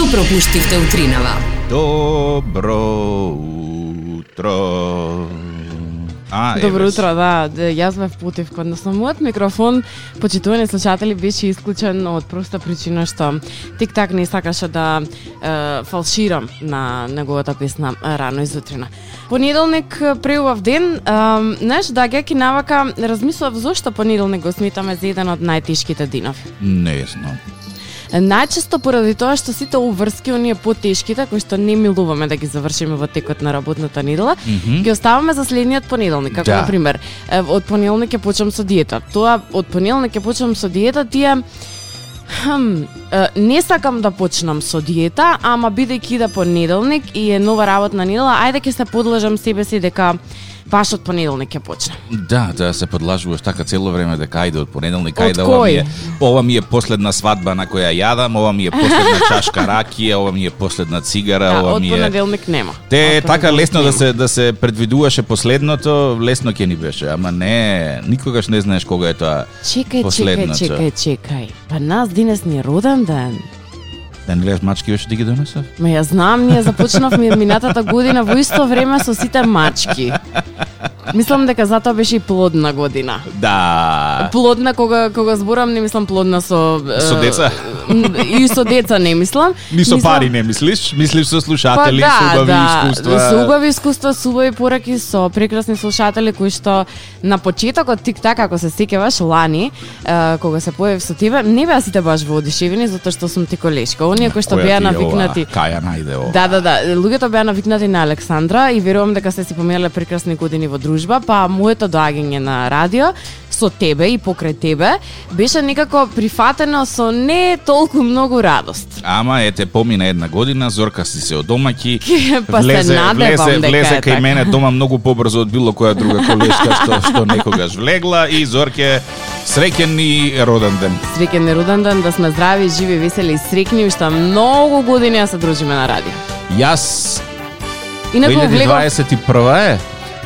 Што пропуштивте утринава? Добро утро. Добро утро, да. Јас ме впутив, односно мојот микрофон, почитувани слушатели, беше исклучен од проста причина што тик-так не сакаше да фалширам на неговата песна рано изутрина. Понеделник преубав ден, знаеш, даѓајќи навака, размислував зошто понеделник го сметаме за еден од најтешките денови. Не знам. Најчесто поради тоа што сите уврски, оние потешките, кои што не милуваме да ги завршиме во текот на работната недела, ги оставаме за следниот понеделник. Како, например, од понеделник ќе почнам со диета. Тоа, од понеделник ќе почнам со диета, тие... не сакам да почнам со диета, ама бидејќи иде понеделник и е нова работна недела, ајде ќе се подлажам себе си дека баш од понеделник ќе почне. Да, се подлажуваш така цело време дека ајде од понеделник, ајде ова ми е последна свадба на која јадам, ова ми е последна чашка ракија, ова ми е последна цигара, ова ми е... од понеделник нема. Те така лесно да се предвидуваше последното, лесно ќе ни беше, ама не, никогаш не знаеш кога е тоа последното. Чекај. Па нас денес ни е роден ден. Да не гледаш мачки беше да ги донесов? Ма ја знам, ние започнавме минатата година во исто време со сите мачки. Мислам дека затоа беше и плодна година. Да. Плодна кога зборам, не мислам плодна со деца. И со деца не мислам. Ни со пари не мислиш? Мислиш со слушатели, со убави искуства. Со убави искуства, со убави пораки, со прекрасни слушатели кои што на почетокот тик-так, ако се сеќаваш лани, кога се појавив со тебе, не беа сите баш воодушевени затоа што сум ти колешка. Оние кои што беа навикнати. Каја најде ова. Да. Луѓето беа навикнати на Александра и верувам дека сте си поминале прекрасни години во дружба, па моето доаѓање на радио со тебе и покрај тебе беше некако прифатено со не толку многу радост. Ама ете, помина една година, Зорка си се одомаќи, па влезе кај така. мене дома многу побрзо од било која друга колешка што некогаш влегла и Зорке среќен и роден ден. Среќен и роден ден, да сме здрави, живи, весели и среќни, уште многу години да се дружиме на радио. Јас 2021 е.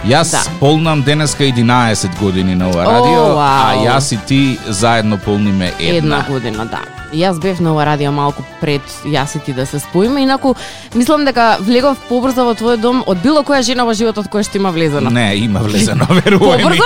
Јас полнам денеска 11 години на ова радио, а јас и ти заедно полниме една година, да. Јас бев на ова радио малку пред јас и ти да се споиме, инаку мислам дека влегов побрзо во твој дом од било која жена во животот која што има влезено. Не, има влезено, верувај ми. Побрзо?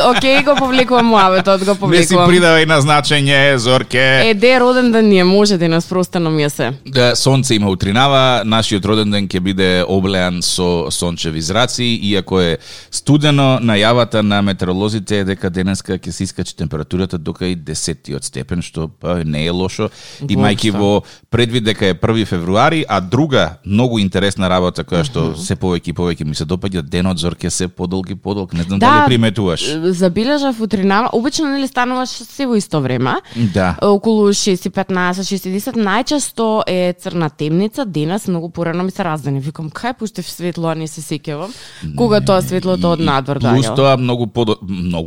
Океј, го повлекувам муабетот, го повлекувам. Не си придавај на значење, Зорке. Де роден ден ни е, може да нас простено ми е се. Да, сонце има утринава, нашиот роден ден ќе биде облеан со сончеви зраци, иако е студено, најавата на метеоролозите е дека денеска ќе се искачи температурата до кај 10 степен, што не е лошо, имајќи во предвид дека е 1 февруари, а друга многу интересна работа која што се повеќе ми се допаѓа, денот, Зорке, се подолг. Не знам дали приметуваш. Забележав утринава, обично нели стануваш се во исто време. Да. Околу 6:15, 6:10, најчесто е црна темница, денес многу порано ми се раздени. Викам, кај пуштев светло, а не се сеќавам. Кога тоа светлото од надвор доаѓа. Плюс тоа многу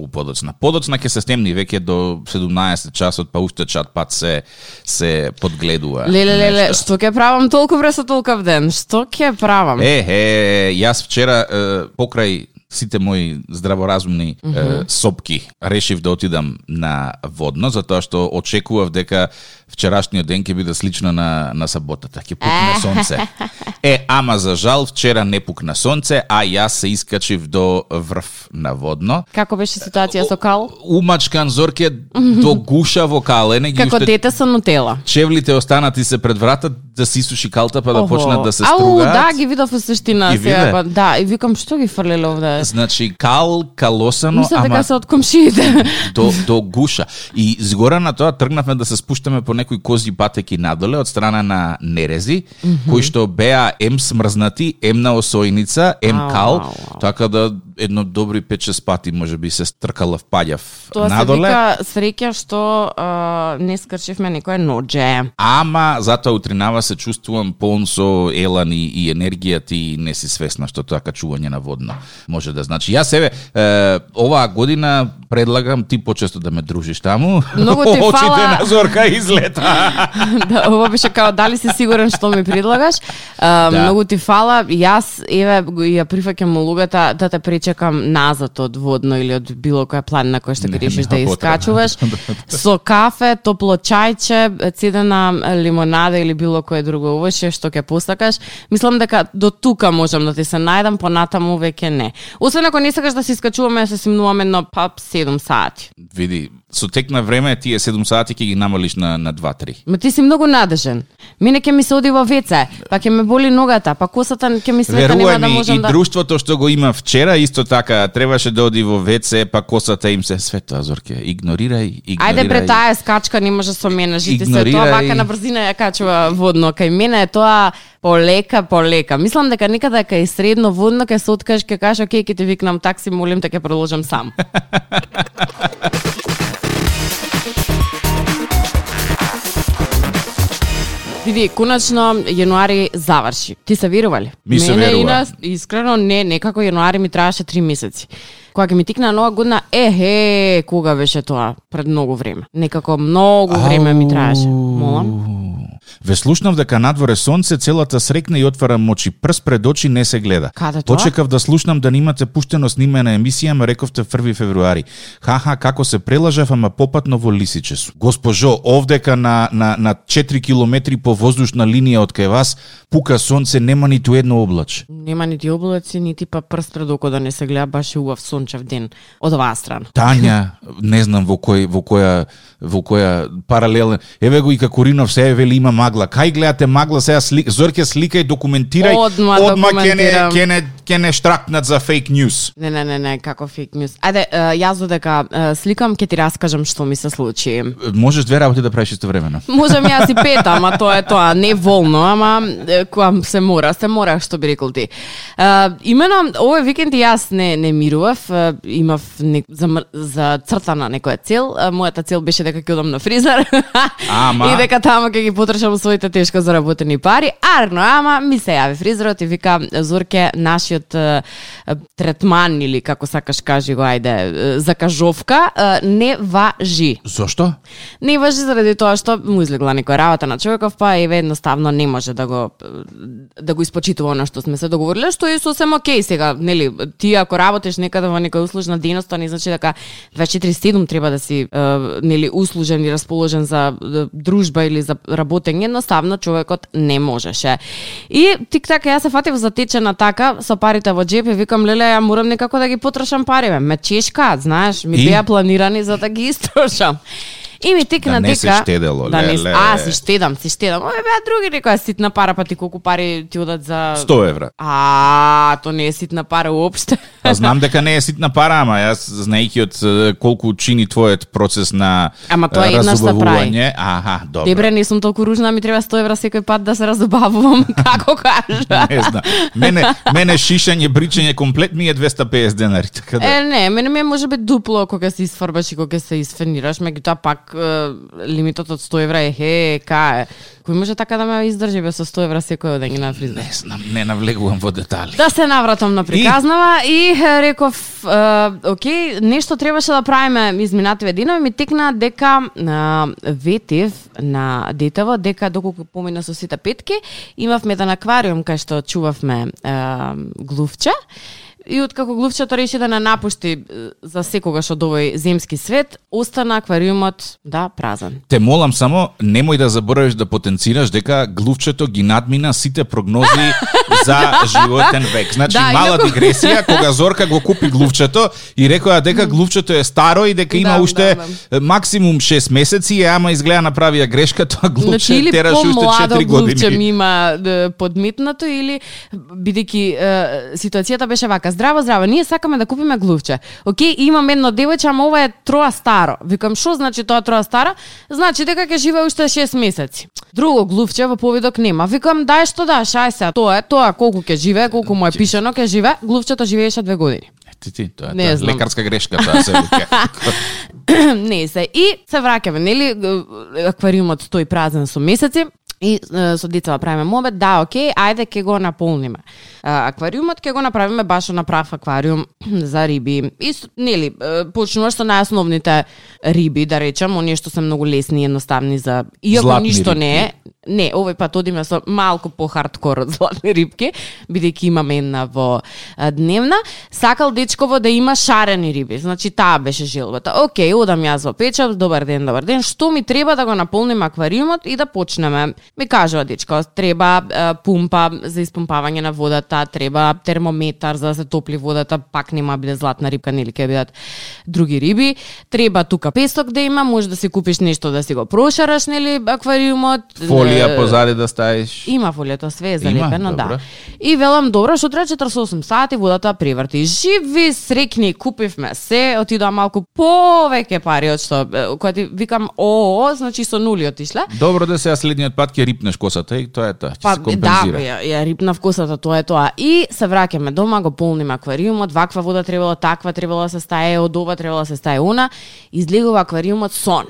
подоцна. Подоцна ќе се стемни веќе до 17 часот, па уште чат пат се подгледува. Леле, што ќе правам толку вре со толков ден? Што ќе правам? Јас вчера покрај сите мои здраворазумни сопки решив да отидам на водно, затоа што очекував дека вчерашниот ден ќе биде слично на саботата, ќе пукне сонце. Ама за жал вчера не пукна сонце, а јас се искачив до врв на водно. Како беше ситуација со кал? Умачкан, Зорке, до гуша во кал. Како дете со нутела. Чевлите останати се пред врата да се исуши калта, па да почнат да се стругаат. Да, ги видов во суштина сега. Да, и викам што ги фрлеле овде. Значи калосано, мисля дека се од комшиите. До гуша. И згора на тоа тргнавме да се спуштаме по некои козји патеки надоле од страна на нерези, кои што беа смрзнати, на осојница, кал, така да едно добри 5-6 пати можеби се стркалав, паѓав надоле. Тоа се вика среќа што не скрчивме некој ноџе. Ама затоа утринава се чувствувам полн со елан и енергијата и не си свесна што тоа качување на водно може да значи. Јас оваа година предлагам ти почесто да ме дружиш таму. Многу ти Очите фала. на Зорка излета. Да, ова беше као дали си сигурен што ми предлагаш. Многу ти фала. Јас еве ја прифаќам улогата да те пречекам назад од водно или од било која планина која што ги решиш да искачуваш. Со кафе, топло чајче, цедена лимонада или било кое друго овоше што ќе постакаш. Мислам дека до тука можам да ти се најдам, понатаму веќе не. Освен ако не сакаш да се искачуваме, се симнуваме на 7 сати. Види, со тек на време тие 7 сати ќе ги намалиш на 2-3. Ма ти си многу надежен. Мене ќе ми се оди во веце, па ќе ме боли ногата, па косата ќе ми света, нема да можам да... И друштвото што го има вчера, исто така, требаше да оди во веце, па косата им се света, Зорке. Игнорирај. Ајде пред таа скачка не може со мене, жити се тоа вака на брзина ја качува водно. Кај мене е тоа полека. Мислам дека некаде кај средно водно ќе се откажеш, ќе кажеш, окей, ќе ти викнам такси, молим те ќе продолжам сам. Види, конечно, јануари заврши. Ти се верували? Ми се верува. Искрено, некако јануари ми траеше 3 месеци. Кога ќе ми тикна нова година, кога беше тоа? Пред многу време. Некако многу време ми траеше. Молам? Ве слушнав дека надворе сонце, целата срекна и отварам очи. Прст пред очи не се гледа. Каде тоа? Почекав да слушнам да немате пуштено снимена емисија, ме рековте 1 февруари. Ха, како се прелажав, ама попатно во лисиче су. Госпожо, овдека на 4 километри по воздушна линија од кај вас, пука сонце, нема ниту едно облаче. Нема нити облаци, нити па прст пред око да не се гледа, баш убав сончев ден од оваа страна. Тања, не знам во која паралелна. Еве го и Какуринов се вели има магла. Кај гледате магла сега Зорке сликај, документирај. Одма ќе не штракнат за фейк ньюс. Не, како фейк ньюс. Ајде, јас додека сликам ќе ти раскажам што ми се случи. Можеш две работи да правиш истовремено. Можам јас и пета, ама тоа е тоа, не волно, ама кога се мора, што би рекол ти. Имено овој викенд јас не мирував, имав за цртана некоја цел. Мојата цел беше дека ќе одам на фризер. И дека таму ќе ги потрошам своите тешко заработени пари. Ама ми се јави фризерот и вика: Зорке, нашиот третман или како сакаш кажи го, ајде, закажовка не важи. Зошто? Не важи заради тоа што му излегла некоја работа на човеков, па еве едноставно не може да го испочитува она што сме се договориле, што е сосем окей сега, нели? Ти ако работиш некаде во некоја услужна дејност, тоа не значи дека 24/7 треба да си нели услужен и расположен за дружба или за работење, едноставно човекот не можеше. И тик-так јас се фатив за течена така со парите во джеп и викам: леле, ја морам некако да ги потрошам пари, ме чешка, знаеш, ми беа планирани за да ги истрошам. И ми тикна дека... Да не се штедело, леле. Си штедам. Ове беа други некоја ситна пара, па ти колку пари ти одат за... 100 евра. То не е ситна пара уопште. Па знам дека не е ситна пара, ама јас знаејќи од колку чини твојот процес на разубавување. Добро. Дебре, не сум толку ружна, ми треба 100 евра секој пат да се разубавувам, како кажа. Не знам. Мене шишање, бричање комплет ми е 250 денари, така да. Не, мене ми е можеби дупло кога се изфарбаш и кога се изфенираш, меѓутоа пак лимитот од 100 евра е кај. Кој може така да ме издржи без 100 евра секој ден на фризер? Не знам, не навлегувам во детали. Да се навратам на приказнава и реков, окей, нешто требаше да правиме изминативе денови, ми текна дека ветив на детево, дека доколку помина со сите петки, имавме еден аквариум кај што чувавме глувче. И откако глувчето реши да не напушти за секогаш од овој земски свет, остана аквариумот празен. Те молам само, немој да заборавиш да потенцираш дека глувчето ги надмина сите прогнози за животен век. Значи, мала дигресија, кога Зорка го купи глувчето и рекоа дека глувчето е старо и дека има уште максимум 6 месеци, ама изгледа направија грешка, тоа глувче тераш уште 4 години. Глувче ми има подметнато или бидејќи ситуацијата беше вака. Здраво, ние сакаме да купиме глувче. Океј, имам едно девојче, ама ова е троа старо. Викам, шо значи тоа троа старо? Значи дека ќе живее уште 6 месеци. Друго глувче во повидок нема. Викам, дај што шај се, тоа колку ќе живее, колку му е пишано ќе живее, глувчето живееше 2 години. Тоа е лекарска грешка, тоа се вика. Не се. И се враќаме, нели, аквариумот стои празен со месеци. И со децава правиме мобет, да, окей, ајде ќе го наполниме. Аквариумот ќе го направиме баш на прав аквариум за риби. И нели, почнуваш со најосновните риби, да речам, оние што се многу лесни и едноставни за иако златни ништо рибки. не е. Не, овој пат одиме со малку по-хардкор од златни рибки, бидејќи имаме една во дневна. Сакал дечково да има шарени риби, значи таа беше желбата. Океј, одам јас во печат, добар ден, што ми треба да го наполниме аквариумот и да почнеме. Ми кажува дечко, треба пумпа за испумпавање на водата, треба термометар за да се топли водата, пак нема биде златна рибка, нели ќе бидат други риби. Треба тука песок да има, може да си купиш нешто да си го прошараш, нели, аквариумот. Фолија позади да ставиш. Има фолијата, све е залепено, има, да. И велам, добро, што треба 48 сати водата приврти. Живи, срекни, купивме се, отидоа малку повеќе пари од што, која ти викам, значи со нули отишла. Добро да се следниот пат ќе рипнеш косата и тоа е тоа, ќе се компензира. Да, ја рипнав косата, тоа е тоа. И се враќаме дома, го полниме аквариумот, ваква вода требало, таква требало да се стае, од ова требало да се стае она. Излегува аквариумот сон.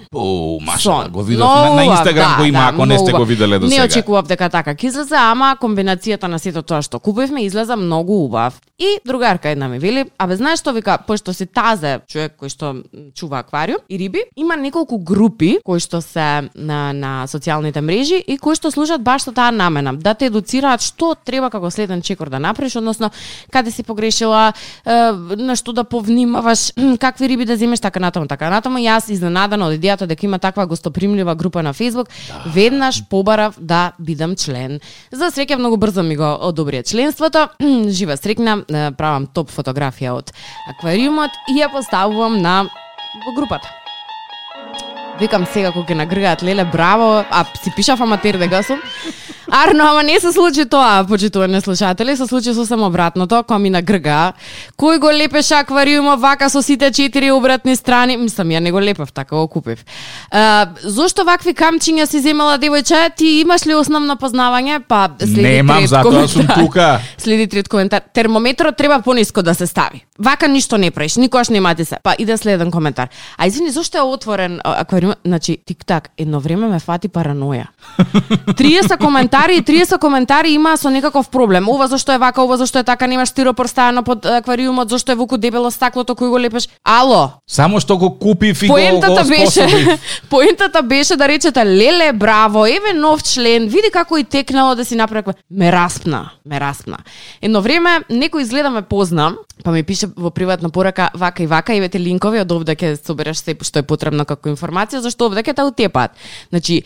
Маша, го видов на Инстаграм, го има, ако не сте го виделе до сега. Не очекував дека така ќе излезе, ама комбинацијата на сето тоа што купивме излезе многу убав. И другарка една ми вели, абе знаеш што, вика, пошто си тазе човек кој што чува аквариум и риби, има неколку групи кои што се на социјалните мрежи и кои што служат баш со таа намена, да те едуцираат што треба како следен чекор да направиш, односно каде си погрешила, на што да повнимаваш, какви риби да земеш, така натаму. Јас изненадана од идејата дека има таква гостопримлива група на Facebook, веднаш побарав да бидам член. За среќа многу брзо ми го одобрија членството. Жива срекна, правам топ фотографија од аквариумот и ја поставувам во групата. Викам сега кога ќе нагргаат леле, браво, а си пишав аматер дека сум. Арно, ама не се случи тоа, почитувани слушатели, се случи сосем обратното, кога ми нагрга. Кој го лепеше аквариумот вака со сите 4 обратни страни? Мислам, ја не го лепав, така го купив. Зошто вакви камчиња си земала, девојче? Ти имаш ли основно познавање? Па следи Немам, затоа сум тука. Следи трет коментар. Термометрот треба пониско да се стави. Вака ништо не правиш, никогаш нема ти се. Па иде следен коментар. А извини, зошто е отворен аквариум? Значи, тик-так, едно време ме фати параноја. 30 коментари има со некаков проблем. Ова зашто е вака, ова зашто е така, немаш стиропор ставено под аквариумот, зашто е вуку дебело стаклото кој го лепеш. Ало. Само што го купив и го способив. Поентата беше да речете леле, браво, еве нов член, види како и текнало да си направи. Ме распна. Едно време некој изгледа ме позна, па ми пише во приватна порака вака и вака, еве те линкови, од овде ќе собереш се што е потребно како информација, зашто овде ќе те утепат. Значи,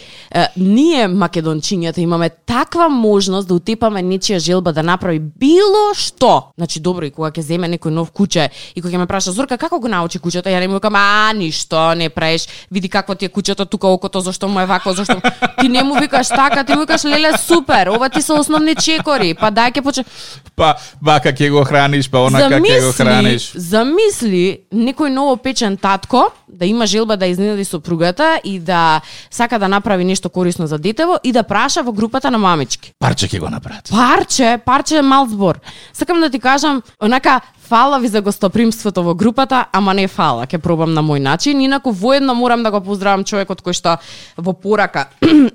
ние македончињата имаме таква можност да утепаме нечија желба да направи било што. Значи, добро, и кога ќе земе некој нов куќе и кога ќе ме праша Зорка како го научи куќето, ја не му викам ништо не правиш, види какво ти е куќето тука окото, зашто му е вако, зашто ти не му викаш така, ти му викаш леле супер, ова ти се основни чекори, па дај ќе почне. Па вака ќе го храниш, па онака ќе го храниш. Замисли некој новопечен татко да има желба да изненади сопругата и да сака да направи нешто корисно за детево и да праша во групата на мамички. Парче ќе го направат. Парче е мал збор. Сакам да ти кажам, онака, фала ви за гостопримството во групата, ама не фала, ќе пробам на мој начин. Инаку воедно морам да го поздравам човекот кој што во порака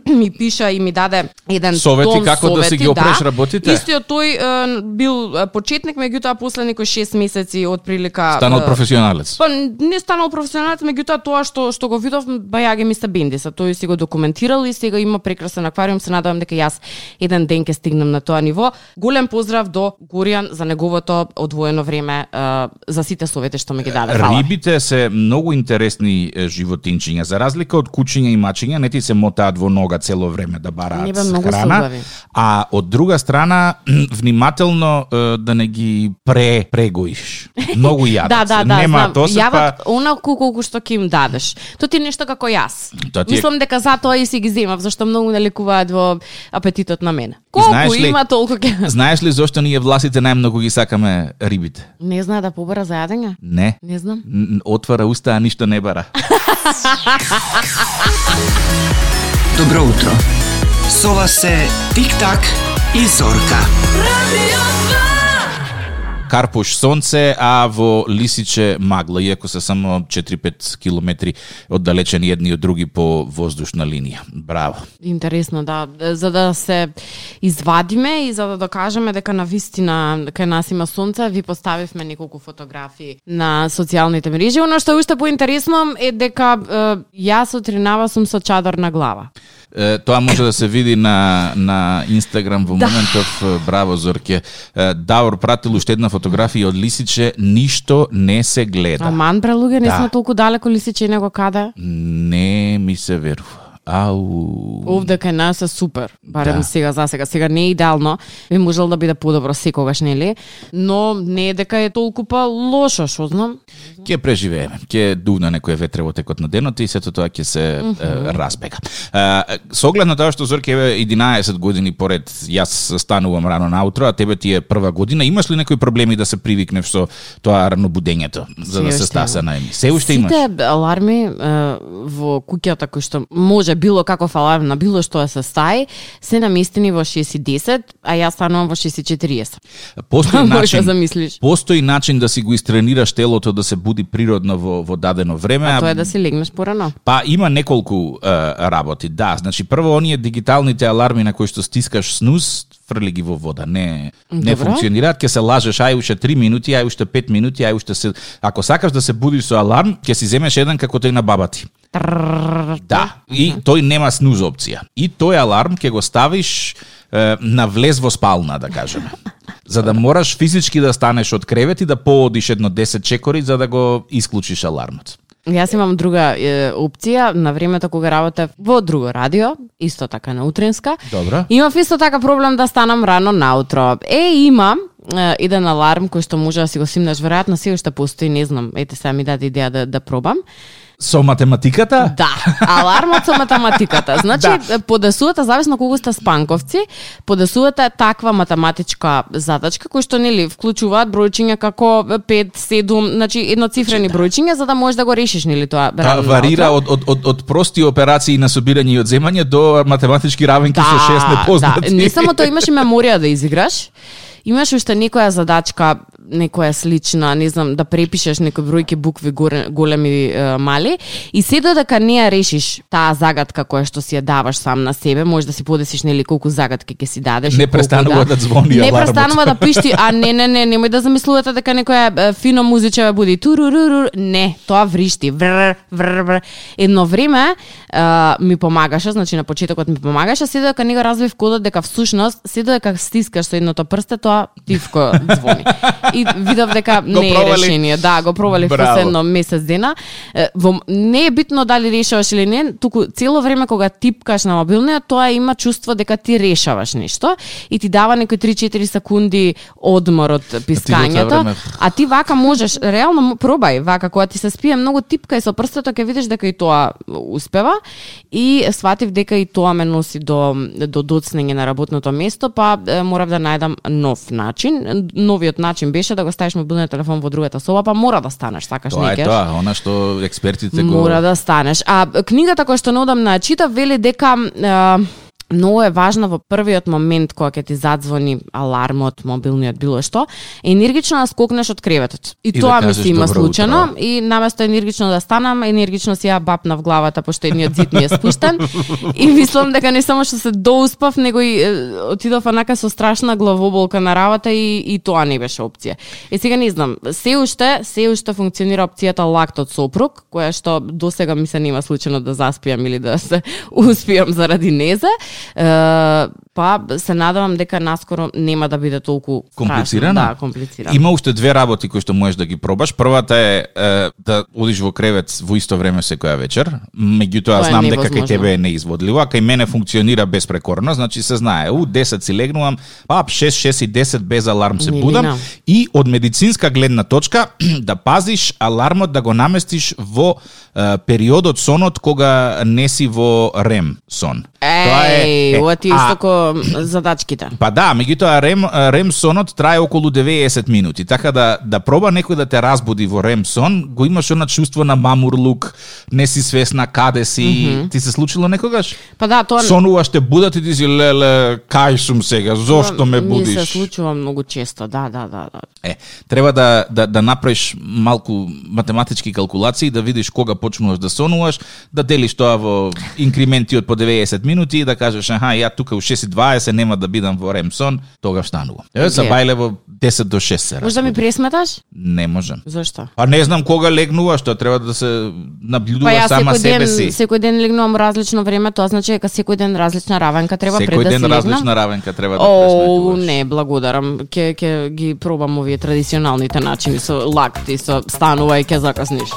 ми пиша и ми даде еден совети како да си ги опреш работите. Истиот тој бил почетник, меѓутоа после некои 6 месеци од прилика станал професионалец. Па не станал професионалец, меѓутоа тоа што го видов бајаги ми се бендиса. Тој си го документирал и сега има прекрасен аквариум, се надевам дека јас еден ден ќе стигнем на тоа ниво. Голем поздрав до Горијан за неговото одвоено време за сите совети што ми ги даде. Рибите се многу интересни животинчиња, за разлика од кучиња и мачиња, не ти се мотаат во нога цело време да бараат храна, а од друга страна внимателно да не ги прегоиш. Многу јадат. Да, нема тоа се јадат онаку колку што ќе им дадеш. Тоа ти е нешто како јас. Мислам дека затоа и си ги земав, зашто многу не лекуваат во апетитот на мене. Колку има толку ќе. Знаеш ли зошто ние власите најмногу ги сакаме рибите? Не знае да побара за јадење? Не. Не знам. Отвара уста, а ништо не бара. Добро утро. Со вас се Тик-так и Зорка. Карпуш сонце, а во Лисиче магла, иако се само 4-5 километри оддалечени едни од други по воздушна линија. Браво. Интересно, да. За да се извадиме и за да докажеме дека навистина кај нас има сонце, ви поставивме неколку фотографии на социјалните мрежи. Оно што е уште поинтересно е дека јас утринава сум со чадор на глава. Тоа може да се види на Инстаграм во моментов. Браво, Зорке. Давор пратил уште една фотографија од Лисиче, ништо не се гледа. Аман, бре, луѓе, не сме толку далеко Лисиче него каде? Не ми се верува. Овде кај нас е супер, барем сега за сега. Сега не е идеално, би можел да биде подобро секогаш, нели? Но не е дека е толку па лошо, шо знам. Ќе преживееме, ќе дувна некој ветре во текот на денот и сето тоа ќе се разбега. Со оглед на тоа што Зорке 11 години поред јас станувам рано наутро, а тебе ти е прва година, имаш ли некои проблеми да се привикнеш со тоа рано будењето, за да се стаса на емисија? Се уште имаш? Сите аларми во куќата кои што може било каков аларм на било што се стаи, се наместени во 6:10, а јас станувам во 6:40. Постои начин да си го истренираш телото да се буди природно во дадено време. А тоа е да си легнеш порано. Па има неколку работи, да. Значи прво оние дигиталните аларми на кои што стискаш снуз, фрли ги во вода. Не функционираат, ќе се лажеш ај уште 3 минути, ај уште 5 минути, ај уште се... Ако сакаш да се будиш со аларм, ќе си земеш еден како тој на баба ти. Да, и тој нема снуз опција. И тој аларм ќе го ставиш на влез во спална, да кажеме. За да мораш физички да станеш од кревет и да поодиш едно 10 чекори за да го исклучиш алармот. Јас имам друга опција, на времето кога работев во друго радио, исто така на утринска. Добро. Имав исто така проблем да станам рано наутро. Имам еден аларм кој што може да си го симнеш, веројатно се уште постои, не знам, ете сега ми даде идеја да пробам. Со математиката? Да, алармот со математиката. Значи, подесувате, зависно колку сте спанковци, подесувате таква математичка задачка, кој што, нели, вклучуваат бројчиња како 5, 7, значи едноцифрени бројчиња, за да можеш да го решиш, нели, тоа. Варира од прости операции на собирање и одземање до математички равенки со 6 непознати. Да, не само тоа, имаш и меморија да изиграш. Имаш уште некоја задачка, некоја слична, не знам, да препишеш некои бројки, букви големи, мали, и се додека не ја решиш таа загадка која што си ја даваш сам на себе, може да си подесиш, нели, колку загадки ќе си дадеш. Не престанува да звони алармот. Не престанува да пишти, немој да замислувате дека некоја фино музиче буди турурурур, не, тоа вришти, вр. Едно време ми помагаше, значи на почетокот ми помагаше, се додека не го развив кодот дека всушност се додека стискаш со едното прсте, тоа тивко звони. И видов дека не е решение. Да, го провалив последно месец дена. Не е битно дали решаваш или не, туку цело време кога типкаш на мобилниот, тоа има чувство дека ти решаваш нешто и ти дава некои 3-4 секунди одмор од пискањето. А ти вака можеш, реално пробај, вака кога ти се спие многу типка и со прстото ќе видиш дека и тоа успева, и сватив дека и тоа ме носи до доцнење на работното место, па морав да најдам нов начин. Новиот начин беше да го ставиш мобилниот телефон во другата соба, па мора да станеш, сакаш некаш. Тоа е тоа, она што експертите го... Мора да станеш. А книгата која што неодамна читав вели дека многу е важно во првиот момент кога ќе ти задзвони алармот, мобилниот, било што, енергично да скокнеш од креветот. И тоа ми се има случајно, и наместо енергично да станам, енергично си ја бапна в главата, пошто едниот зид ми е спуштен. И мислам дека не само што се доуспав, него и отидов онака со страшна главоболка на работа, и тоа не беше опција. Сега не знам, се уште функционира опцијата лактот сопруг, која што досега ми се нема случајно да заспиам или да се успиам заради незе. Па се надевам дека наскоро нема да биде толку комплицирано. Да, комплицирано. Има уште две работи кои што можеш да ги пробаш. Првата е да одиш во кревет во исто време секоја вечер. Меѓутоа знам дека кај тебе е неизводливо, а кај мене функционира безпрекорно, значи се знае, 10 си легнувам, 6:10 без аларм се будам, и од медицинска гледна точка да пазиш алармот да го наместиш во периодот сонот кога не си во REM сон. Тоа е ова ти исто ко задачките. Па да, меѓутоа REM сонот трае околу 90 минути, така да проба некој да те разбуди во REM сон, го имаш она чувство на мамурлук, не си свесна каде си. Ти се случило некогаш? Па да, тоа сонуваш, те будат и ти си леле, кај сум сега, зошто ме будиш? Ми се случува многу често, да. Треба да направиш малку математички калкулации, да видиш кога почнуваш да сонуваш, да делиш тоа во инкременти од по 90 минути и да кажеш, ја тука у 6:20 нема да бидам во REM сон, тогаш станувам. Се бајле во 10 до 6 се. Може да ми пресметаш? Не можам. Зошто? Па не знам кога легнуваш, тоа треба да се наблюдува сама себе си. Секој ден легнувам различно време, тоа значи дека секој ден различна равенка треба пред да се легнам. Секој ден различна равенка треба да пресметуваш. Не, благодарам. Ќе ги пробам овие традиционалните начини со лакт и со станува и ќе закасниш.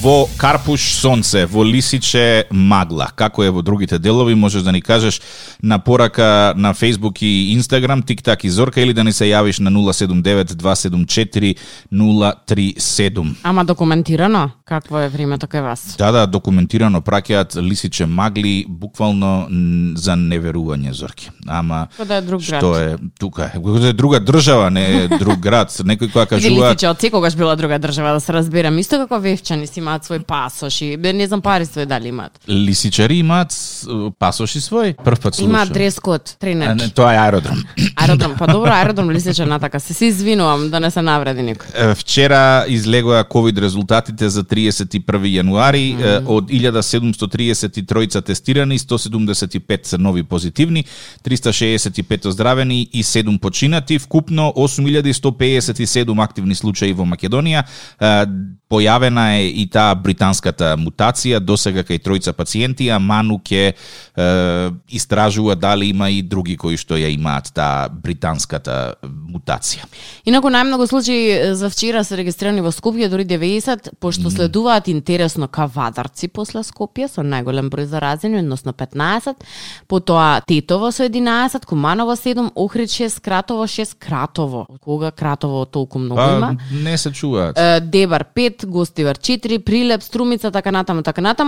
Во Карпуш сонце, во Лисиче магла. Како е во другите делови, можеш да ни кажеш на порака на Facebook и Instagram, TikTok и Зорка, или да ни се јавиш на 079-274-037. Ама документирано? Какво е времето кај вас? Да, документирано праќаат Лисиче магли, буквално за неверување, Зорки. Ама да е друг град. Што е тука? Кога е друга држава, не е друг град. Некој која кажува Лисиче од секогаш била друга држава, да се разберам. Исто како вевчани си имаат свој пасош и не знам пари свој дали имаат. Лисичари имаат пасоши свој? Прв пат слушам. Имаат дрес-код, тренерки. Тоа е аеродром. Аеродром, па добро, аеродром Лисиче натака. Се извинувам да не се навреди никој. Вчера излегоа ковид резултатите за 31 јануари. Од 1733 тестирани, 175 се нови позитивни, 365 оздравени и 7 починати, вкупно 8157 активни случаи во Македонија. Појавена е и таа британската мутација, досега кај тројца пациенти, а ману ќе истражува дали има и други кои што ја имаат таа британската мутација. Инаку најмногу случаи за вчера се регистрирани во Скопје, дури 90, пошто следуваат интересно Кавадарци после Скопје со најголем број заразени, односно 15, потоа Тетово со 11, Куманово 7, Охрид 6, Кратово 6, Кратово. Кога Кратово толку многу има? Не се чуваат. Дебар 5, Гостивар 4, Прилеп, Струмица, така натаму,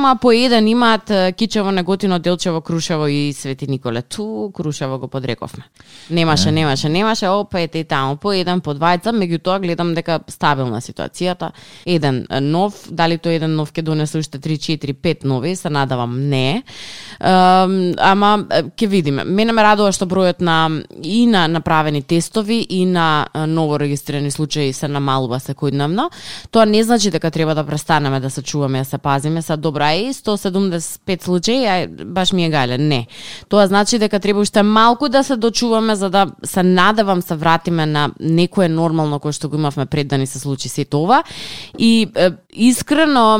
а по еден имаат Кичево, Неготино, Делчево, Крушево и Свети Николе. Ту Крушево го подрековме. Немаше, опет и таму, по еден, по двајца, меѓутоа гледам дека стабилна ситуацијата. Еден нов, дали тој еден нов ќе донесе уште 3, 4, 5 нови, се надавам не. Ама ќе видиме. Мене ме радува што бројот на направени тестови и на ново регистрирани случаи се намалува секојдневно. Тоа не значи дека треба да престанеме да се чуваме, да се пазиме, са добра и 175 случаи, баш ми е гајле. Не. Тоа значи дека треба уште малку да се дочуваме за да се надевам се вратиме на некое нормално кое што го имавме пред да ни се случи сето ова. И искрено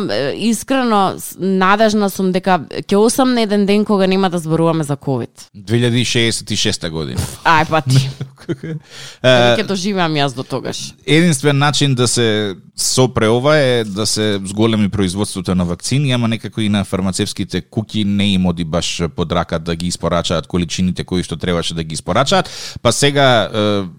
надежна сум дека ќе осам на еден ден кога нема да зборуваме за ковид. 2066 година. Ај па ти. Ќе доживеам јас до тогаш. Единствен начин да се сопре ова е да се зголеми производството на вакцини, ама некако и на фармацевските куќи не им оди баш под рака да ги испорачаат количините кои што требаше да ги испорачаат. Па сега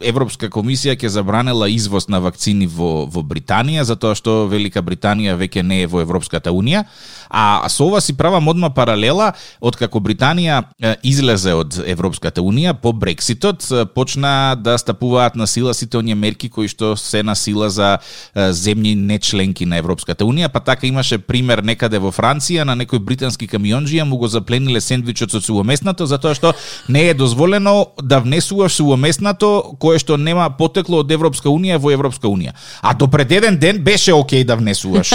Европска комисија ќе забранела извоз на вакцини во Британија, затоа што Велика Британија веќе не е во Европската унија. А со ова си правам одма паралела, откако Британија излезе од Европската унија по Брекситот, почна да стапуваат на сила сите оние мерки кои што се на сила за земји не членки на Европската унија, па така имаше пример некаде во Франција на некој британски камионџија му го заплениле сендвичот со сувоместнато затоа што не е дозволено да внесуваш сувоместнато кое што нема потекло од Европска унија во Европска унија. А до пред еден ден беше окей да внесуваш.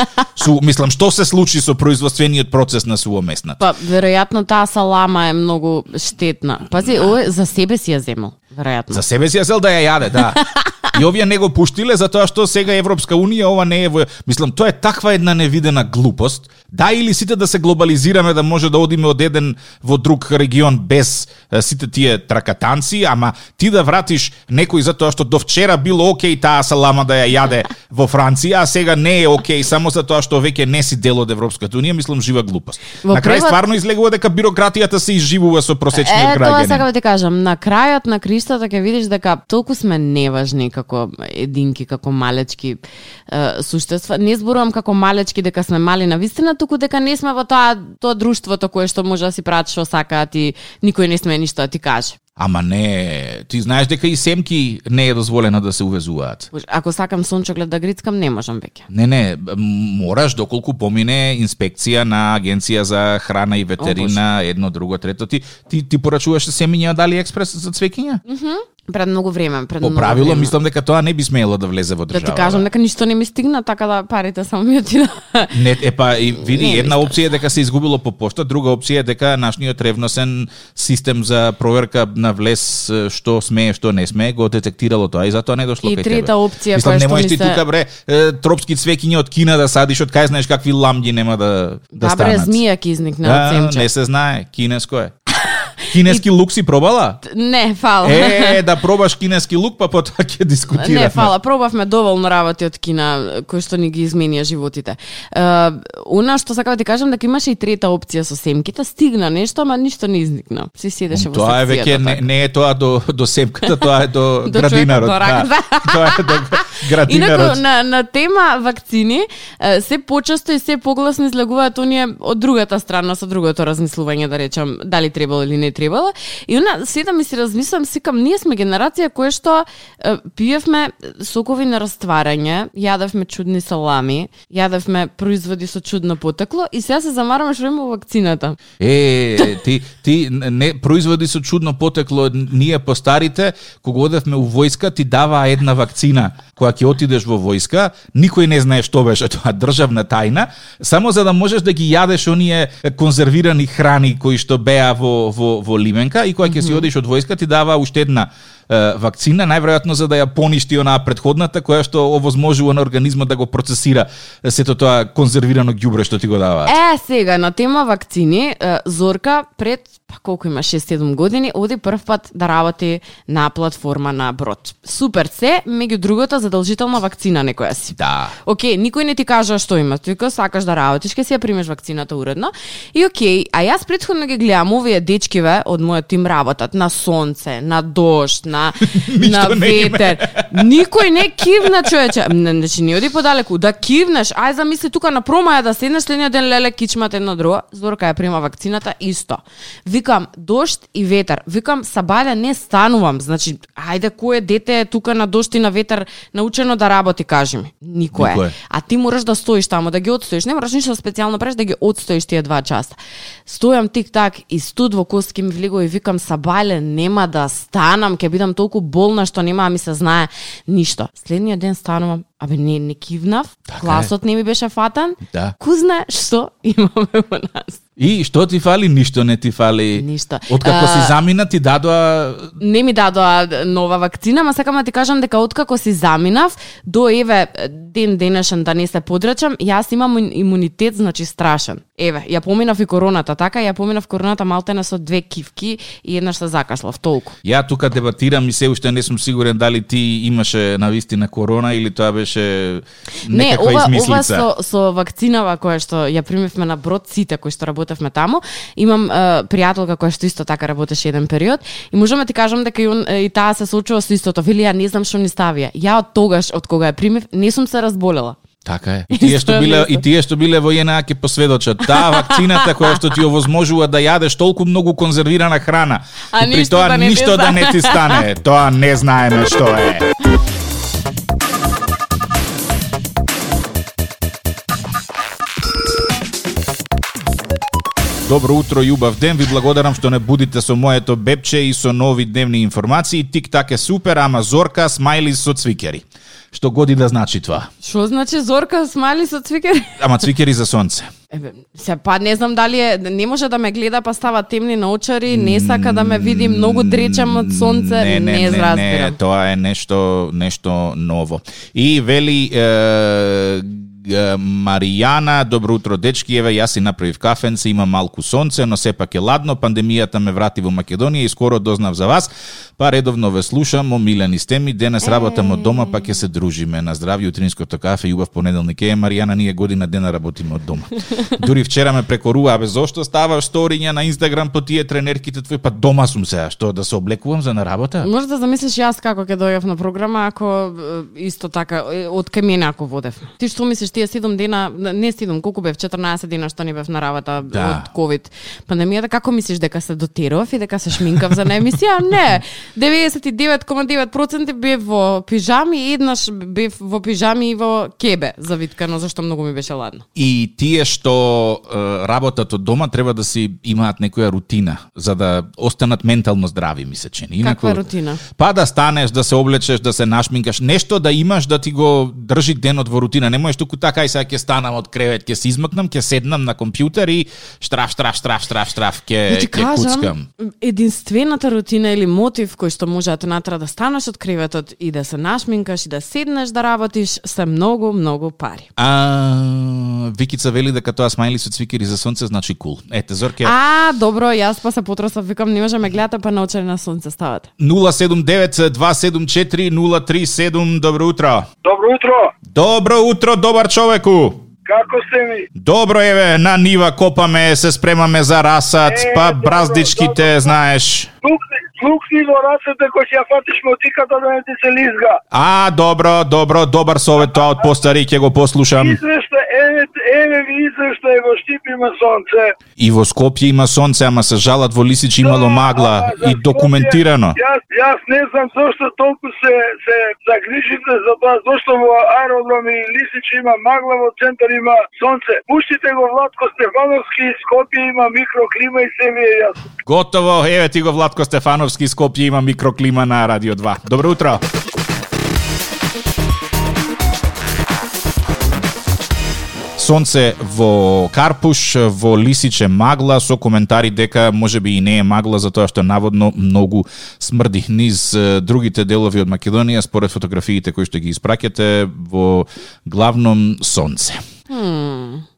Мислам, што се случи со производствениот процес на сувоместнато? Па веројатно таа салама е многу штетна. Пази, ова за себе си ја земал, веројатно. За себе си ја зел да ја јаде, да. И овие не го пуштиле затоа што сега Европска унија ова не е во... Мислам, тоа е таква една невидена глупост. Да, или сите да се глобализираме, да може да одиме од еден во друг регион без сите тие тракатанци, ама ти да вратиш некој затоа што до вчера било окей таа салама да ја јаде во Франција, а сега не е окей само затоа што веќе не си дел од Европската унија, мислам жива глупост. На крај стварно излегува дека бирократијата се изживува со просечниот граѓанин. Тоа сакам да ти кажам, на крајот на криштата ќе видиш дека толку сме неважни како како единки, како малечки суштества. Не зборувам како малечки дека сме мали на вистина, туку дека не сме во тоа друштвото кое што може да си прават што сакаат и никој не сме ништо да ти каже. Ама не, ти знаеш дека и семки не е дозволено да се увезуваат. Ако сакам сончоглед да грицкам, не можам веќе. Не, мораш доколку помине инспекција на Агенција за храна и ветерина, едно, друго, трето. Ти порачуваш семиња од AliExpress за цвеќиња? Пред многу време, По правило, мислам дека тоа не би смеело да влезе во држава. Да ти кажам дека ништо не ми стигна, така да парите само ми отида. Не, и види, една опција е дека се изгубило по пошта, друга опција е дека нашниот ревносен систем за проверка на влез што смее, што не смее, го детектирало тоа и затоа не дошло кај тебе. И трета опција која што ми се... тука тропски цвеќиња од Кина да садиш, од кај знаеш какви ламѓи нема да станат. Бре, змија ќе изникне од семче. Не се знае, кинеско е. Кинески лук си пробала? Не, фала. Да пробаш кинески лук, па потоа ќе дискутираме. Не, фала, пробавме доволно работи од Кина, кои што ни ги изменија животите. Она што сакам да ти кажам, дека имаше и трета опција со семките, стигна нешто, ама ништо не изникна. Си седеше во секцијата. Тоа е веќе не е тоа до семката, тоа е до градинарот. Тоа е до градинарот. Инаку на тема вакцини, се почесто и се погласно излегуваат оние од другата страна, со другото размислување, да речам, дали требало или не требало. И она седам и си размислам, сикам, ние сме генерација која што пиевме сокови на растварање, јадевме чудни салами, јадевме производи со чудно потекло и сега се замараме што има вакцината. Ти не производи со чудно потекло, ние постарите, кога одевме у војска, ти дава една вакцина која ќе отидеш во војска, никој не знае што беше тоа, државна тајна, само за да можеш да ги јадеш оние конзервирани храни кои што беа во лименка и кога ќе си одиш од војска ти дава уште една вакцина, најверојатно за да ја поништи онаа претходната која што овозможува на организмот да го процесира сето тоа конзервирано ѓубре што ти го даваат. Сега на тема вакцини, Зорка пред колку има 6-7 години оди прв пат да работи на платформа на брод. Супер се, меѓу другото задолжителна вакцина некоја си. Да. Океј, никој не ти кажа што има, ти сакаш да работиш, ќе си ја примеш вакцината уредно. И океј, а јас претходно ги гледам овие дечкиве од мојот тим работат на сонце, на дожд, на ветер. Никој не кивна, човече. Значи не оди подалеку, да кивнеш. Ај замисли тука на промаја да седнеш следниот ден леле кичмат едно друго. Зорка ја прима вакцината исто. Викам дожд и ветер. Викам сабајле не станувам. Значи ајде кое дете е тука на дожд и на ветер научено да работи, кажи ми. Никој. А ти мораш да стоиш таму, да ги отстоиш. Не мораш ништо специјално преш да ги отстоиш тие 2 часа. Стојам тик-так и студ во коски ми влегува и викам сабајле нема да станам, ќе бидам толку болна што нема да ми се знае ништо. Следниот ден станувам, не кивнав, гласот не ми беше фатан. Да. Ку знае што имаме во нас. И што ти фали? Ништо не ти фали. Ништо. Откако си замина ти дадоа... Не ми дадоа нова вакцина, ма сакам да ти кажам дека откако си заминав, до еве ден денешен да не се подрачам, јас имам имунитет, значи страшен. Еве, ја поминав и короната, така, ја поминав короната малтене со 2 кивки и еднаш се закашлав, толку. Ја тука дебатирам и се уште не сум сигурен дали ти имаше навистина корона или тоа беше некаква измислица. Не, ова со вакцинава која што ја примивме на брод сите кои што работевме таму, имам пријателка која што исто така работеше еден период и можам да ти кажам дека и таа се соочува со истото. Вели ја не знам што ни ставија. Ја од тогаш од кога ја примив не сум се разболела. Така е. И тие што биле во JNA ќе посведочат. Таа вакцината која што ти овозможува да јадеш толку многу конзервирана храна. И при тоа ништо да не ти стане. Тоа не знаеме што е. Добро утро и убав ден, ви благодарам што не будите со моето бебче и со нови дневни информации. Тик-так е супер, ама Зорка смајли со цвикери. Што годи да значи тоа? Што значи Зорка смајли со цвикери? Ама цвикери за сонце. Се па не знам дали не може да ме гледа па става темни на очари, не сака да ме види многу дречам од сонце, не разбирам. Не, тоа е нешто ново. И вели Маријана, добро утро дечки, еве јас си направив кафенце, има малку сонце, но сепак е ладно, пандемијата ме врати во Македонија и скоро дознав за вас, па редовно ве слушам, омилени сте ми, денес работам од дома, па ќе се дружиме. На здравје, утринското кафе и убав понеделник. Маријана, ние година дена работиме од дома. Дури вчера ме прекорува, зошто ставаш сториња на Инстаграм по тие тренерките твои, па дома сум сега, што да се облекувам за на работа? Може да замислиш јас како ќе дојдев на програма, ако исто така од кај мене ако водев. Ти што мислиш, тие 7 дена, не 7, колку бев, 14 дена што не бев на работа од ковид пандемијата, како мислиш дека се дотерував и дека се шминкав за на емисија? Не. 99,9% бев во пижами и еднаш бев во пижами и во кебе завиткано, зашто многу ми беше ладно. И тие што работат од дома треба да си имаат некоја рутина за да останат ментално здрави, ми се чини. Каква рутина? Па да станеш, да се облечеш, да се нашминкаш, нешто да имаш да ти го држи денот во рутина. Не можеш туку така и сега ќе станам од кревет, ќе се измакнам, ќе седнам на компјутер и штраф, ќе куцкам. Единствената рутина или мотив кој што може да те натера да станеш од креветот и да се нашминкаш и да седнеш да работиш се многу пари. Викица вели дека тоа смајли со цвикери за сонце значи кул. Ете, Зорке. Добро, јас па се потресав, викам не може ме гледате па научени на сонце ставате. 079-274-037, добро утро. Добро утро. Добро утро, добар човеку. Како сте ми? Добро, еве, на нива копаме, се спремаме за расат, па браздичките, добро. Знаеш. Лукни во расата кој ќе ја фатиш мотиката да не ти се лизга. Добар совет тоа од постари, ќе го послушам. Еве ви извештај, во Штип има сонце. И во Скопје има сонце, ама се жалат во Лисич имало магла и документирано. Јас не знам зошто толку се загрижите за тоа, зошто во аеродром и Лисич има магла, во центар има сонце. Пуштите го Владко Стефановски, Скопје има микроклима и се ви е јасно. Готово, еве ти го Владко Стефановски, Скопје има микроклима на Радио 2. Добро утро. Сонце во Карпуш, во Лисич е магла, со коментари дека можеби и не е магла, затоа што наводно многу смрди. Низ другите делови од Македонија, според фотографиите кои што ги испраќате, во главном сонце.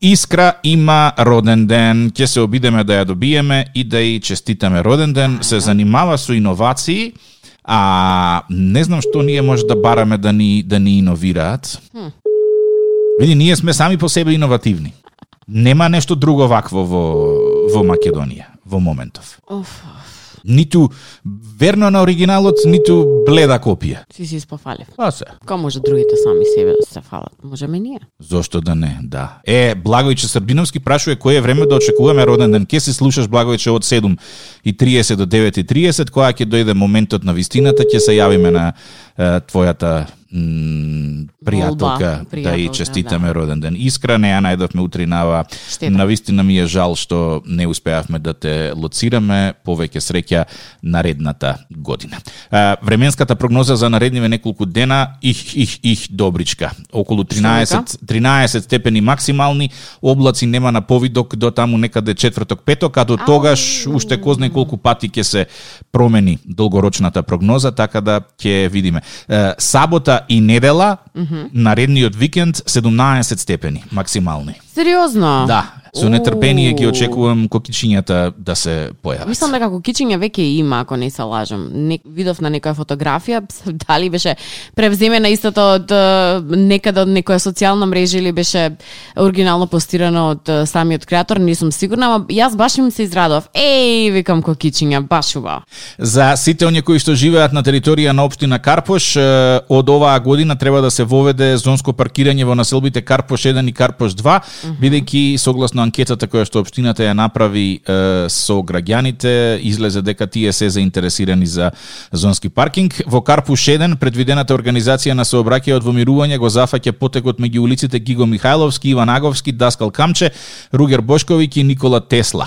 Искра има роден ден, ќе се обидеме да ја добиеме и да ја честитаме роден ден, се занимава со иновации, а не знам што ние може да бараме да ни иновираат. Види, ние сме сами по себе иновативни. Нема нешто друго вакво во Македонија во моментов. Ниту верно на оригиналот, ниту бледа копија. Си спофалив. Се. Ка може другите сами себе да се фалат? Можеме ние. Зошто да не, да. Благојче Србиновски прашува кој е време да очекуваме роден ден. Ке се слушаш, Благојче, од 7:30 до 9:30, кога ќе дојде моментот на вистината, ќе се јавиме на твојата пријателка да и честитаме роден ден. Искра, не ја најдовме утринава. Навистина ми е жал што не успеавме да те лоцираме. Повеќе среќа наредната година. Временската прогноза за наредниве неколку дена добричка. Околу 13 степени максимални, облаци нема на повидок до таму некаде четврток, петок, а до тогаш уште кој знае колку пати ќе се промени долгорочната прогноза, така да ќе видиме. Сабота и недела, наредниот викенд 17 степени максимални. Сериозно? Да. Со нетрпение ги очекувам кокичињата да се појават. Мислам дека кокичиња веќе има, ако не се лажам. Видов на некоја фотографија, дали беше превземена истото од некаде од некоја социјална мрежа или беше оригинално постирано од самиот креатор, не сум сигурна, ама јас баш им се израдов. Викам кокичиња, баш убаво. За сите оние кои што живеат на територија на општина Карпош, од оваа година треба да се воведе зонско паркирање во населбите Карпош 1 и Карпош 2, бидејќи согласно анкетата која што општината ја направи со граѓаните, излезе дека тие се заинтересирани за зонски паркинг. Во Карпуш 1 предвидената организација на сообраќајот во мирување го зафаќа потекот меѓу улиците Гиго Михајловски, Иван Аговски, Даскал Камче, Ругер Бошковиќ и Никола Тесла.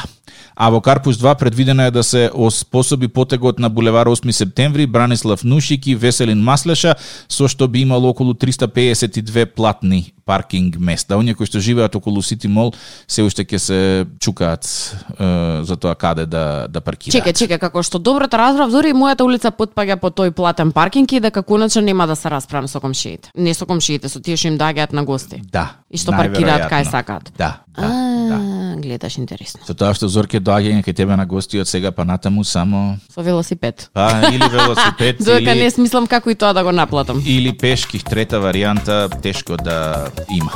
А во Карпуш 2 предвидено е да се оспособи потегот на булевар 8 септември, Бранислав Нушики, Веселин Маслеша, со што би имало околу 352 платни паркинг места. Оние кои што живеат околу Сити Мол се уште ќе се чукаат за тоа каде да паркираат. Чекај, како што добро те разбрав, дури и мојата улица потпаѓа по тој платен паркинг и дека конечно нема да се расправам со комшиите. Не со комшиите, со тие што им доаѓаат на гости. Да. И што паркираат кај сакаат. Да. Гледаш интересно. Со тоа што Зорке доаѓање кај тебе на гости од сега па натаму само со велосипед. Или велосипед Додека не смислам како и тоа да го наплатам. Или пешки, трета варијанта тешко да има.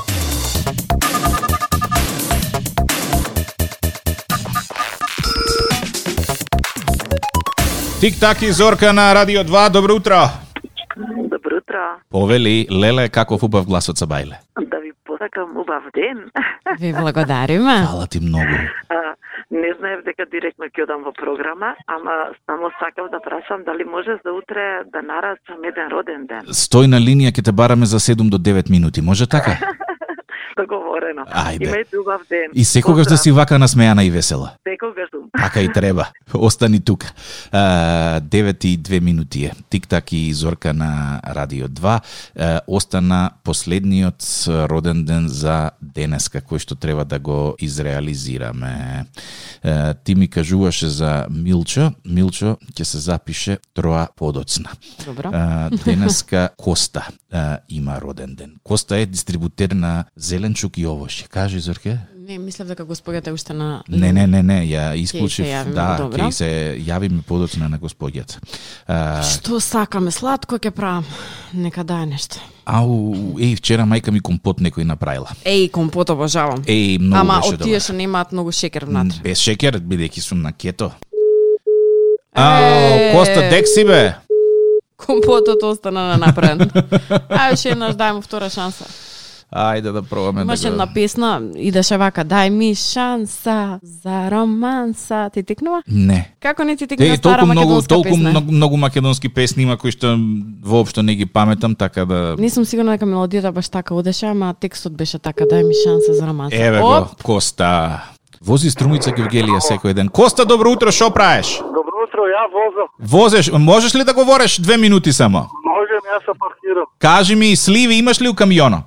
Тик-так и Зорка на Радио 2, добро утро. Добро утро. Повели, Леле, каков убав глас од Сабајле. Да ви посакам убав ден. Ви благодариме. Фала ти многу. Не знаев дека директно ќе одам во програма, ама само сакав да прашам дали може за утре да нарачам еден роден ден. Стој на линија, ќе те бараме за 7 до 9 минути, може така? Договорено. Ајде. Имајте убав ден. И секогаш да си вака насмејана и весела. Секогаш сум. Така и треба. Остани тука. 9 и 2 минути е. Тик-так и Зорка на Радио 2. Остана последниот роден ден за денеска, кој што треба да го изреализираме. Ти ми кажуваше за Милчо. Милчо ќе се запише троа подоцна. Добро. Денеска Коста има роден ден. Коста е дистрибутер на зеленчук и овошје. Кажи, Зорке? Не, мислев дека господјата уште на... Не, ја исклучив. Ќе се јавиме подоцна на господјата. Што сакаме, сладко ќе правам. Нека дај нешто. Вчера мајка ми компот некој направила. Компот обожавам. Многу ама беше од тие што немаат многу шекер внатре. Без шекер, бидејќи сум на кето. Коста, дек си бе? Компотот остана направен. Ше еднаш дај му втора шанса. Ајде да пробаме. Имаше една песна, идеше вака, дај ми шанса за романса. Ти текнува? Не. Како не ти текнува стара македонска песна? Толку многу македонски песни има кои што воопшто не ги паметам, така да... Не сум сигурна дека мелодијата баш така одеше, ама текстот беше така, дај ми шанса за романса. Еве го, Коста. Вози Струмица Гевгелија секој ден. Коста, добро утро, шо правиш? Добро утро, ја возам. Возеш, можеш ли да говориш 2 минути само? Можем, јас се паркирам. Кажи ми, сливи имаш ли у камионот?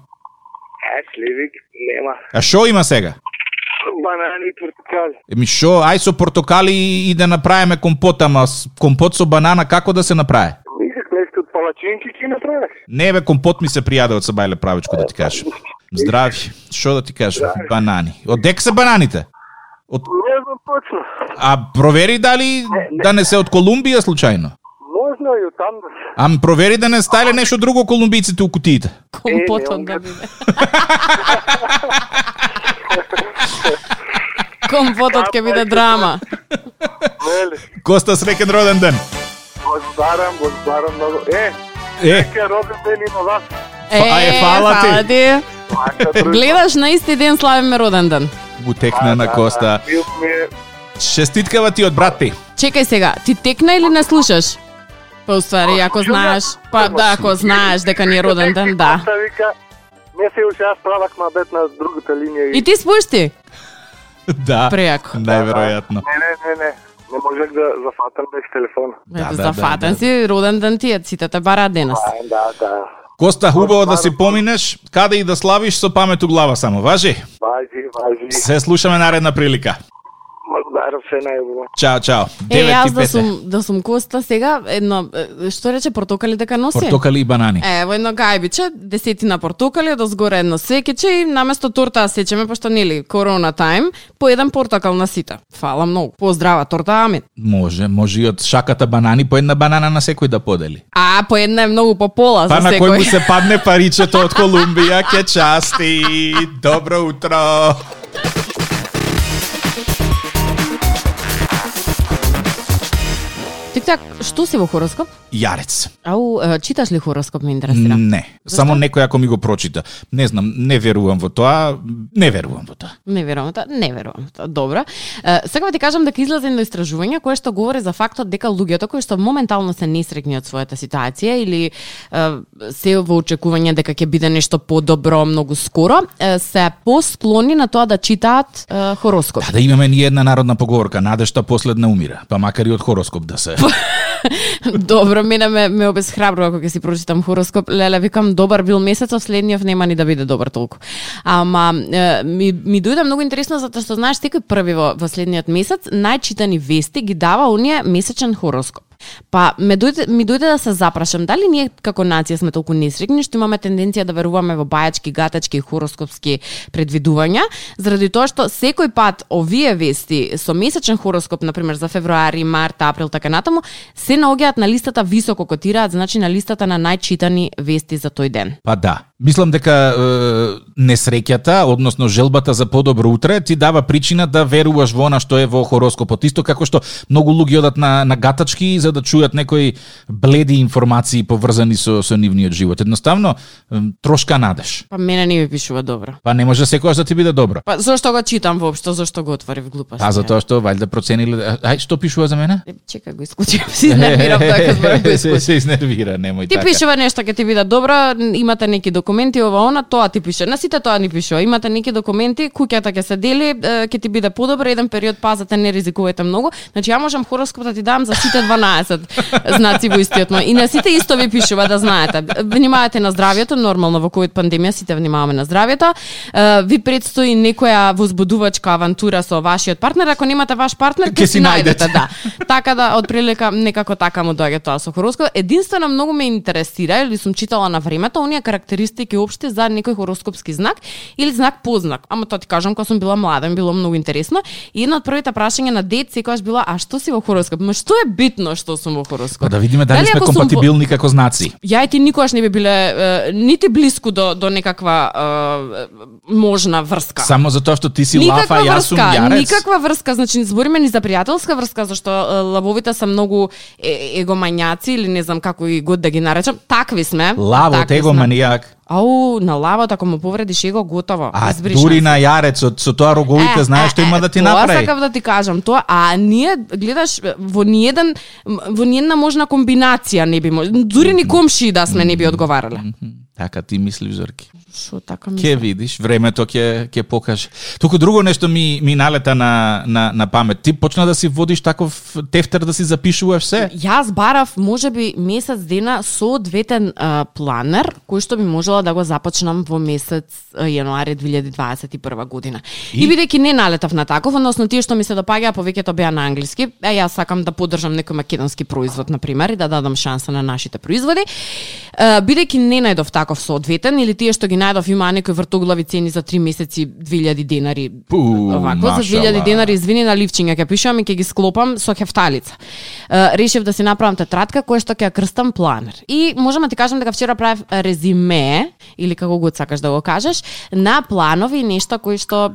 Сливик нема. А шо има сега? Банани и портокали. Шо, ај со портокали и да направиме компот, ама компот со банана како да се направи? Мислех нешто од палачинки ќе направиш. Не бе, компот ми се пријаде од Сабајле правичко да ти кажам. Здрави, шо да ти кажам? Банани. Од дек се бананите? Не знам точно. А провери дали да не се од Колумбија случајно? Можно и од таму. Ам провери да не стајле нешто друго колумбиците у кутиите. Компотот да биде. Компотот ќе биде драма. Коста, среќен роден ден. Благодарам многу. Среќен роден ден и на вас. Фала ти. Гледаш, на исти ден славиме роден ден. Му текна на Коста. Честиткава ти од брат ти. Чекај сега, ти текна или не слушаш? Па уствари, ако знаеш, ако знаеш дека ни е роден ден, да. Не се уште јас правак мабет на другата линија. И ти спушти? Да. Прејако. Најверојатно. Не. Не можех да зафатам без телефон. Зафатен си, роден ден ти е, сите те бараат денес. Да. Коста, хубаво да си поминеш, каде и да славиш со памет у глава само, важи? Важи. Се слушаме наредна прилика. Благодарам, се најубаво. Чао. Јас да сум Коста сега, едно, што рече, портокали дека носи? Портокали и банани. Ево едно гајбиче, 10 портокали, дозгоре едно свекече и наместо торта сечеме, пошто нели корона тајм, по еден портокал на сите. Фала многу. Поздрава торта, амин. Може и од шаката банани по една банана на секој да подели. По една е многу по пола за секој. Па на кој му се падне паричето од Колумбија, ке части. Добро утро. Тик-так, што си во хороскоп? Јарец. Ау, читаш ли хороскоп, ме интересира? Не. Зашто? Само некој ако ми го прочита. Не знам, не верувам во тоа. Не верувам во тоа. Добро. Сега ти кажам дека излезе едно истражување кое што говори за фактот дека луѓето кои што моментално се несреќни од својата ситуација или се во очекување дека ќе биде нешто подобро многу скоро, се посклони на тоа да читаат хороскоп. Да имаме ни една народна поговорка, надежта последна умира, па макар и од хороскоп да се. Добро, мене ме обесхрабрува кога ќе си прочитам хороскоп. Леле, викам, добар бил месецов, следниот нема ни да биде добар толку. Ама ми дојде многу интересно затоа што знаеш секој први во следниот месец најчитани вести ги дава оние месечен хороскоп. Па ми дојде да се запрашам дали ние како нација сме толку несреќни што имаме тенденција да веруваме во бајачки, гатачки и хороскопски предвидувања, заради тоа што секој пат овие вести со месечен хороскоп, например за февруари, март, април, така натаму, се наоѓаат на листата високо котираат, значи на листата на најчитани вести за тој ден. Па да. Мислам дека несреќата, односно желбата за подобро утре, ти дава причина да веруваш во она што е во хороскопот. Исто како што многу луѓе одат на гатачки за да чујат некои бледи информации поврзани со нивниот живот. Едноставно, трошка надеж. Па мене не ми пишува добро. Па не може секогаш да ти биде добро. Па зошто го читам воопшто, зошто го отворив глупост? Па затоа што валјда процениле, ај што пишува за мене? Чекај го исклучив, си изнервирав така зборам го исклучив. Се изнервира, немој така. Ти пишува нешто ќе ти биде добро, имате неки документи ова она, тоа ти пише. На сите тоа ни пишува. Имате неки документи, куќата ќе се дели, ќе ти биде подобро, еден период пазете, не ризикувате многу. Значи ја можам хороскоп да ти дам за сите 12 знаци во истиот мој. И на сите исто ви пишува, да знаете. Внимавате на здравјето, нормално во ковид пандемија сите внимаваме на здравјето. Ви предстои некоја возбудувачка авантура со вашиот партнер, ако немате ваш партнер, ќе си најдете, да. Така да отприлика некако така му доаѓа тоа со хороскоп. Единствено многу ме интересира или сум читала на времето оние карактеристики општи за некој хороскопски знак или знак познак. Ама тоа ти кажам кога сум била млада, ми било многу интересно. И едно од првите прашања на дет секогаш била: а што си во хороскоп? Ма што е битно што сум во хороскоп? Па да видиме дали сме компатибилни како знаци. Ја и ти никогаш не би биле нити блиску до некаква можна врска. Само затоа што ти си лафа, јас сум јарец. Никаква врска, значи збориме ни за пријателска врска, зашто лавовите се многу егомањаци или не знам како и год да ги наречам. Такви сме. Лавот егоманијак. Ау, на лавот ако му повредиш его, готово. А дури на јарецот со тоа роговите знаеш што има да ти направи. Тоа сакав да ти кажам, тоа, а ние гледаш во ниедна можна комбинација не би дури ни комши да сме не би одговарале. Така ти мислиш, Зорки. Шо така мислиш? Ке видиш, времето ќе покаже. Туку друго нешто ми налета на памет. Ти почна да си водиш таков тефтер да си запишуваш се? Јас барав можеби месец дена соодветен планер кој што би можела да го започнам во месец јануари 2021 година. И бидејќи не налетав на таков, односно тие што ми се допаѓаа повеќето беа на англиски, јас сакам да поддржам некој македонски производ на пример и да дадам шанса на нашите производи. Бидејќи не најдов таков соодветен или тие што ги најдов имаа некои вртоглави цени за 3 месеци 2000 денари. Овако за 2000 денари, извини на ливчиња ќе пишувам и ќе ги склопам со хефталица. Решив да си направам тетрадка која што ќе ја крстам планер. И можам да ти кажам дека вчера правев резиме или како го сакаш да го кажеш на планови и нешта кои што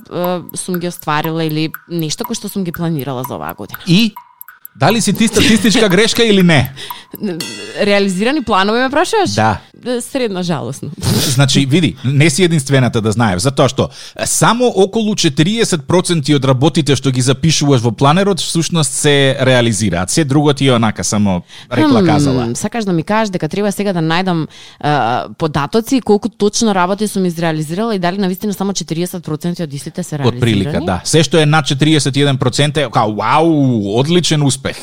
сум ги остварила или нешто кои што сум ги планирала за оваа година. И дали си ти статистичка грешка или не? Реализирани планови ме прашуваш? Да. Средно жалосно. Значи, види, не си единствената да знаеш, затоа што само околу 40% од работите што ги запишуваш во планерот всушност се реализираат. Се друго ти е онака само рекла казала. Сакаш да ми кажеш дека треба сега да најдам податоци колку точно работи сум изреализирала и дали навистина само 40% од истите се реализирани? Од прилика, да. Се што е над 41% е вау, одличен успех.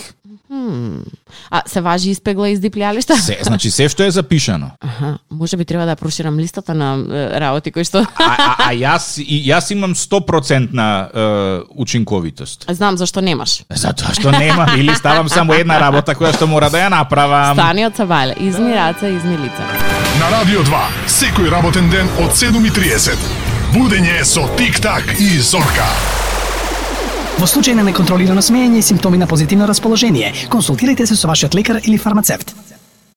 А се важи испегла и издиплјалишта? Се, значи се што е запишано. Аха, може би треба да проширам листата на работи кои што... Јас имам 100% учинковитост. Знам зашто немаш. Затоа што немам или ставам само една работа која што мора да ја направам. Стани од Савале, изми раца, изми лица. На Радио 2, секој работен ден од 7:30. Будење со Тик-так и Зорка. Во случај на неконтролирано смеење и симптоми на позитивно расположение, консултирайте се со вашиот лекар или фармацевт.